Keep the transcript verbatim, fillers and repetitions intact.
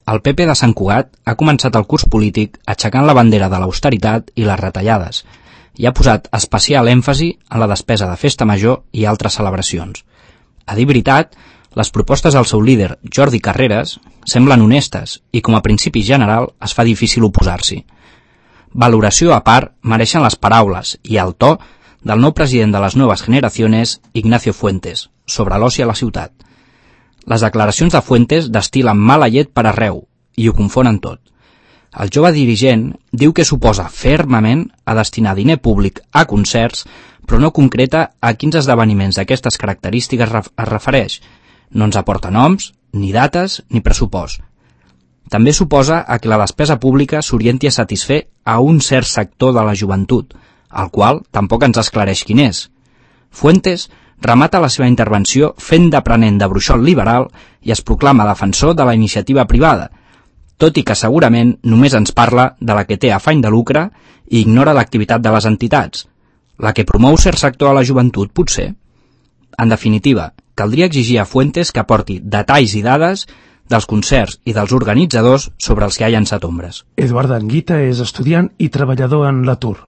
El P P de Sant Cugat ha començat el curs polític aixecant la bandera de l'austeritat i les retallades i ha posat especial èmfasi en la despesa de festa major i altres celebracions. A dir veritat, les propostes del seu líder, Jordi Carreras, semblen honestes i, com a principi general, es fa difícil oposar-s'hi. Valoració a part mereixen les paraules i el to del nou president de les Nuevas Generaciones, Ignacio Fuentes, sobre l'oci a la ciutat. Les declaracions de Fuentes destil·len mala llet per arreu i ho confonen tot. El jove dirigent diu que s'oposa fermament a destinar diner públic a concerts, però no concreta a quins esdeveniments d'aquestes característiques es refereix. No ens aporta noms, ni dates, ni pressupost. També s'oposa a que la despesa pública s'orienti a satisfer a un cert sector de la joventut, el qual tampoc ens esclareix quin és. Fuentes remata la seva intervenció fent d'aprenent de bruixot liberal i es proclama defensor de la iniciativa privada, tot i que segurament només ens parla de la que té afany de lucre i ignora l'activitat de les entitats, la que promou cert sector a la joventut, potser. En definitiva, caldria exigir a Fuentes que aporti detalls i dades dels concerts i dels organitzadors sobre els que ha llançat ombres. Eduard Anguita és estudiant i treballador en l'atur.